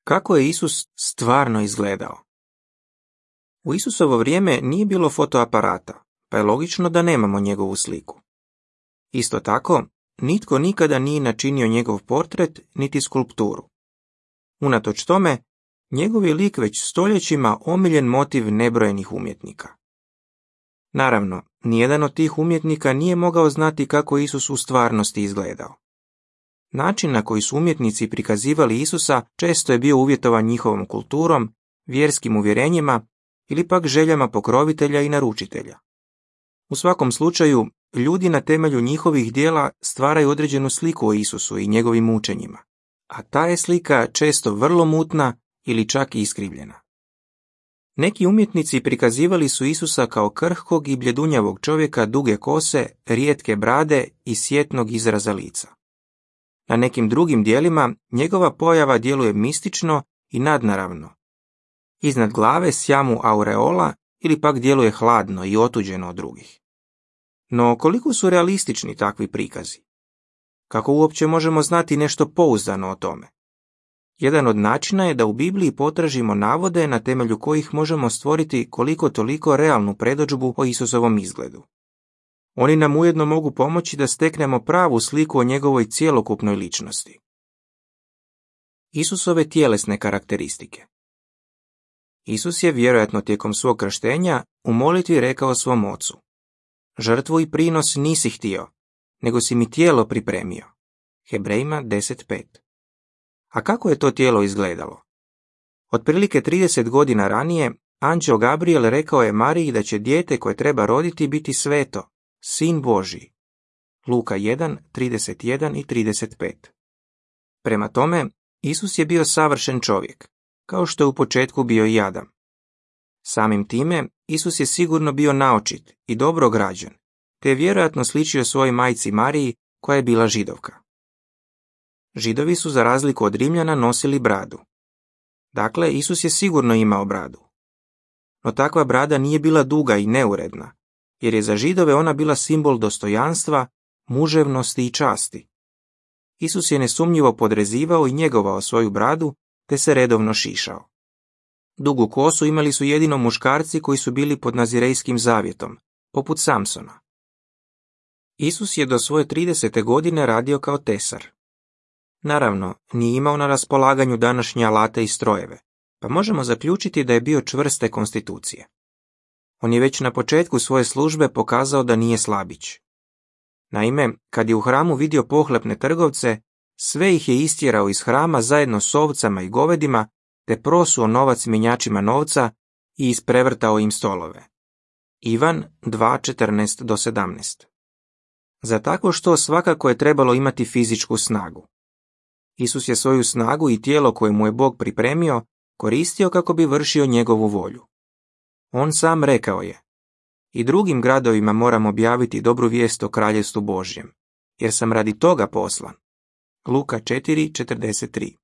Kako je Isus stvarno izgledao? U Isusovo vrijeme nije bilo fotoaparata, pa je logično da nemamo njegovu sliku. Isto tako, nitko nikada nije načinio njegov portret niti skulpturu. Unatoč tome, njegov je lik već stoljećima omiljen motiv nebrojenih umjetnika. Naravno, nijedan od tih umjetnika nije mogao znati kako Isus u stvarnosti izgledao. Način na koji su umjetnici prikazivali Isusa često je bio uvjetovan njihovom kulturom, vjerskim uvjerenjima ili pak željama pokrovitelja i naručitelja. U svakom slučaju, ljudi na temelju njihovih djela stvaraju određenu sliku o Isusu i njegovim učenjima, a ta je slika često vrlo mutna ili čak i iskrivljena. Neki umjetnici prikazivali su Isusa kao krhkog i bljedunjavog čovjeka duge kose, rijetke brade i sjetnog izraza lica. Na nekim drugim dijelima njegova pojava djeluje mistično i nadnaravno. Iznad glave sja mu aureola ili pak djeluje hladno i otuđeno od drugih. No koliko su realistični takvi prikazi? Kako uopće možemo znati nešto pouzdano o tome? Jedan od načina je da u Bibliji potražimo navode na temelju kojih možemo stvoriti koliko toliko realnu predodžbu o Isusovom izgledu. Oni nam ujedno mogu pomoći da steknemo pravu sliku o njegovoj cjelokupnoj ličnosti. Isusove tjelesne karakteristike. Isus je vjerojatno tijekom svog krštenja u molitvi rekao svom ocu: žrtvu i prinos nisi htio, nego si mi tijelo pripremio. Hebrejima 10.5. A kako je to tijelo izgledalo? Otprilike 30 godina ranije, anđeo Gabriel rekao je Mariji da će dijete koje treba roditi biti sveto, sin Božji. Luka 1.31 i 35. Prema tome, Isus je bio savršen čovjek, kao što je u početku bio i Adam. Samim time, Isus je sigurno bio naočit i dobro građen, te je vjerojatno sličio svojoj majci Mariji, koja je bila Židovka. Židovi su za razliku od Rimljana nosili bradu. Dakle, Isus je sigurno imao bradu. No takva brada nije bila duga i neuredna, jer je za Židove ona bila simbol dostojanstva, muževnosti i časti. Isus je nesumnjivo podrezivao i njegovao svoju bradu, te se redovno šišao. Dugu kosu imali su jedino muškarci koji su bili pod nazirejskim zavjetom, poput Samsona. Isus je do svoje 30. godine radio kao tesar. Naravno, nije imao na raspolaganju današnje alate i strojeve, pa možemo zaključiti da je bio čvrste konstitucije. On je već na početku svoje službe pokazao da nije slabić. Naime, kad je u hramu vidio pohlepne trgovce, sve ih je istjerao iz hrama zajedno s ovcama i govedima, te prosuo novac mjenjačima novca i isprevrtao im stolove. Ivan 2.14-17. Za tako što svakako je trebalo imati fizičku snagu. Isus je svoju snagu i tijelo koje mu je Bog pripremio koristio kako bi vršio njegovu volju. On sam rekao je: i drugim gradovima moram objaviti dobru vijest o kraljevstvu Božjem, jer sam radi toga poslan. Luka 4.43.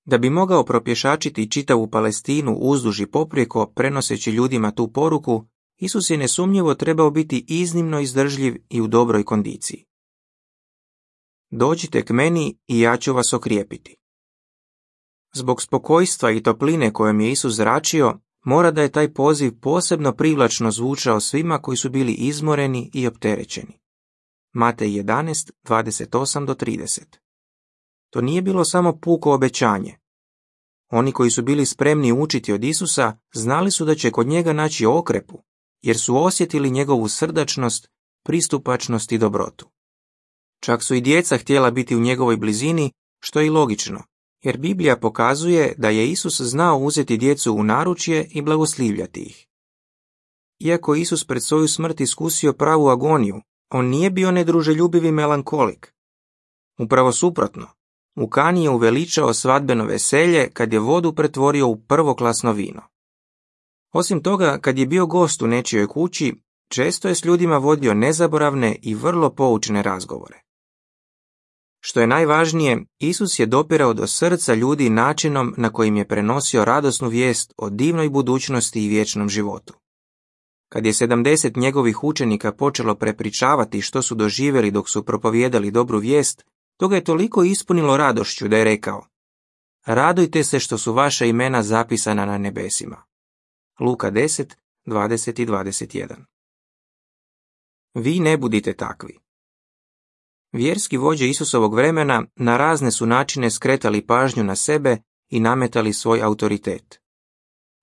Da bi mogao propješačiti čitavu Palestinu uzduž i poprijeko prenoseći ljudima tu poruku, Isus je nesumnjivo trebao biti iznimno izdržljiv i u dobroj kondiciji. Dođite k meni i ja ću vas okrijepiti. Zbog spokojstva i topline kojom je Isus zračio, mora da je taj poziv posebno privlačno zvučao svima koji su bili izmoreni i opterećeni. Matej 11.28-30. To nije bilo samo puko obećanje. Oni koji su bili spremni učiti od Isusa znali su da će kod njega naći okrepu, jer su osjetili njegovu srdačnost, pristupačnost i dobrotu. Čak su i djeca htjela biti u njegovoj blizini, što je i logično, jer Biblija pokazuje da je Isus znao uzeti djecu u naručje i blagoslivljati ih. Iako Isus pred svoju smrt iskusio pravu agoniju, on nije bio nedruželjubivi melankolik. Upravo suprotno, u Kani je uveličao svadbeno veselje kad je vodu pretvorio u prvoklasno vino. Osim toga, kad je bio gost u nečijoj kući, često je s ljudima vodio nezaboravne i vrlo poučne razgovore. Što je najvažnije, Isus je dopirao do srca ljudi načinom na kojim je prenosio radosnu vijest o divnoj budućnosti i vječnom životu. Kad je 70 njegovih učenika počelo prepričavati što su doživjeli dok su propovijedali dobru vijest, to ga je toliko ispunilo radošću da je rekao: radujte se što su vaša imena zapisana na nebesima. Luka 10, 20 i 21. Vi ne budite takvi. Vjerski vođe Isusovog vremena na razne su načine skretali pažnju na sebe i nametali svoj autoritet.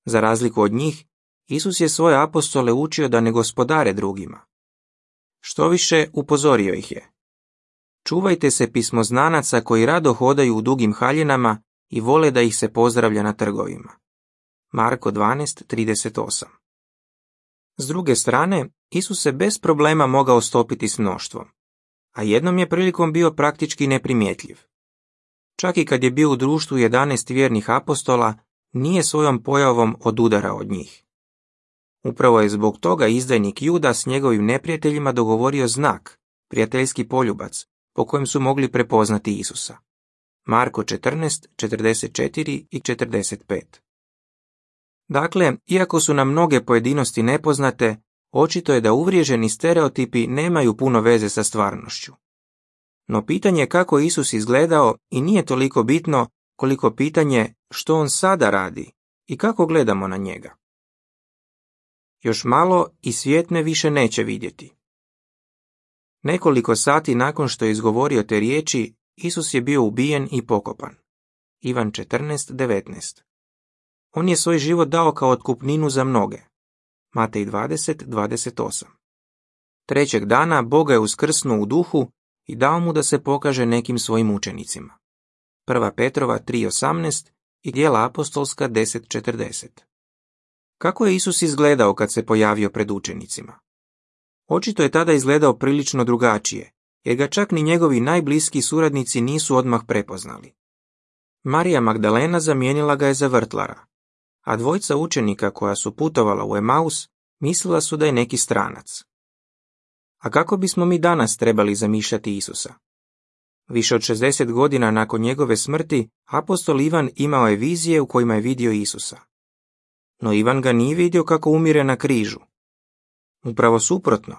Za razliku od njih, Isus je svoje apostole učio da ne gospodare drugima. Štoviše, upozorio ih je. Čuvajte se pismoznanaca koji rado hodaju u dugim haljinama i vole da ih se pozdravlja na trgovima. Marko 12:38. S druge strane, Isus se bez problema mogao stopiti s mnoštvom, a jednom je prilikom bio praktički neprimjetljiv. Čak i kad je bio u društvu 11 vjernih apostola, nije svojom pojavom odudarao od njih. Upravo je zbog toga izdajnik Juda s njegovim neprijateljima dogovorio znak, prijateljski poljubac, po kojem su mogli prepoznati Isusa. Marko 14, 44 i 45. Dakle, iako su nam mnoge pojedinosti nepoznate, očito je da uvriježeni stereotipi nemaju puno veze sa stvarnošću. No pitanje kako Isus izgledao i nije toliko bitno koliko pitanje što on sada radi i kako gledamo na njega. Još malo i svijet me više neće vidjeti. Nekoliko sati nakon što je izgovorio te riječi, Isus je bio ubijen i pokopan. Ivan 14:19. On je svoj život dao kao otkupninu za mnoge. Matej 20:28. Trećeg dana Bog je uskrsnuo u duhu i dao mu da se pokaže nekim svojim učenicima. 1. Petrova 3:18 i Djela apostolska 10:40. Kako je Isus izgledao kad se pojavio pred učenicima? Očito je tada izgledao prilično drugačije, jer ga čak ni njegovi najbliski suradnici nisu odmah prepoznali. Marija Magdalena zamijenila ga je za vrtlara, a dvojica učenika koja su putovala u Emaus mislila su da je neki stranac. A kako bismo mi danas trebali zamišljati Isusa? Više od 60 godina nakon njegove smrti, apostol Ivan imao je vizije u kojima je vidio Isusa. No Ivan ga nije vidio kako umire na križu. Upravo suprotno,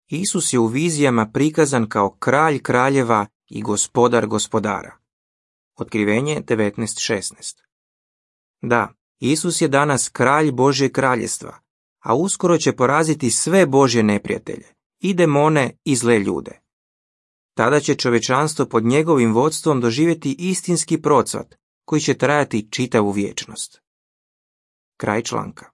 Isus je u vizijama prikazan kao kralj kraljeva i gospodar gospodara. Otkrivenje 19:16. Da, Isus je danas kralj Božje kraljestva, a uskoro će poraziti sve Božje neprijatelje, i demone i zle ljude. Tada će čovječanstvo pod njegovim vodstvom doživjeti istinski procvat koji će trajati čitavu vječnost. Kraj članka.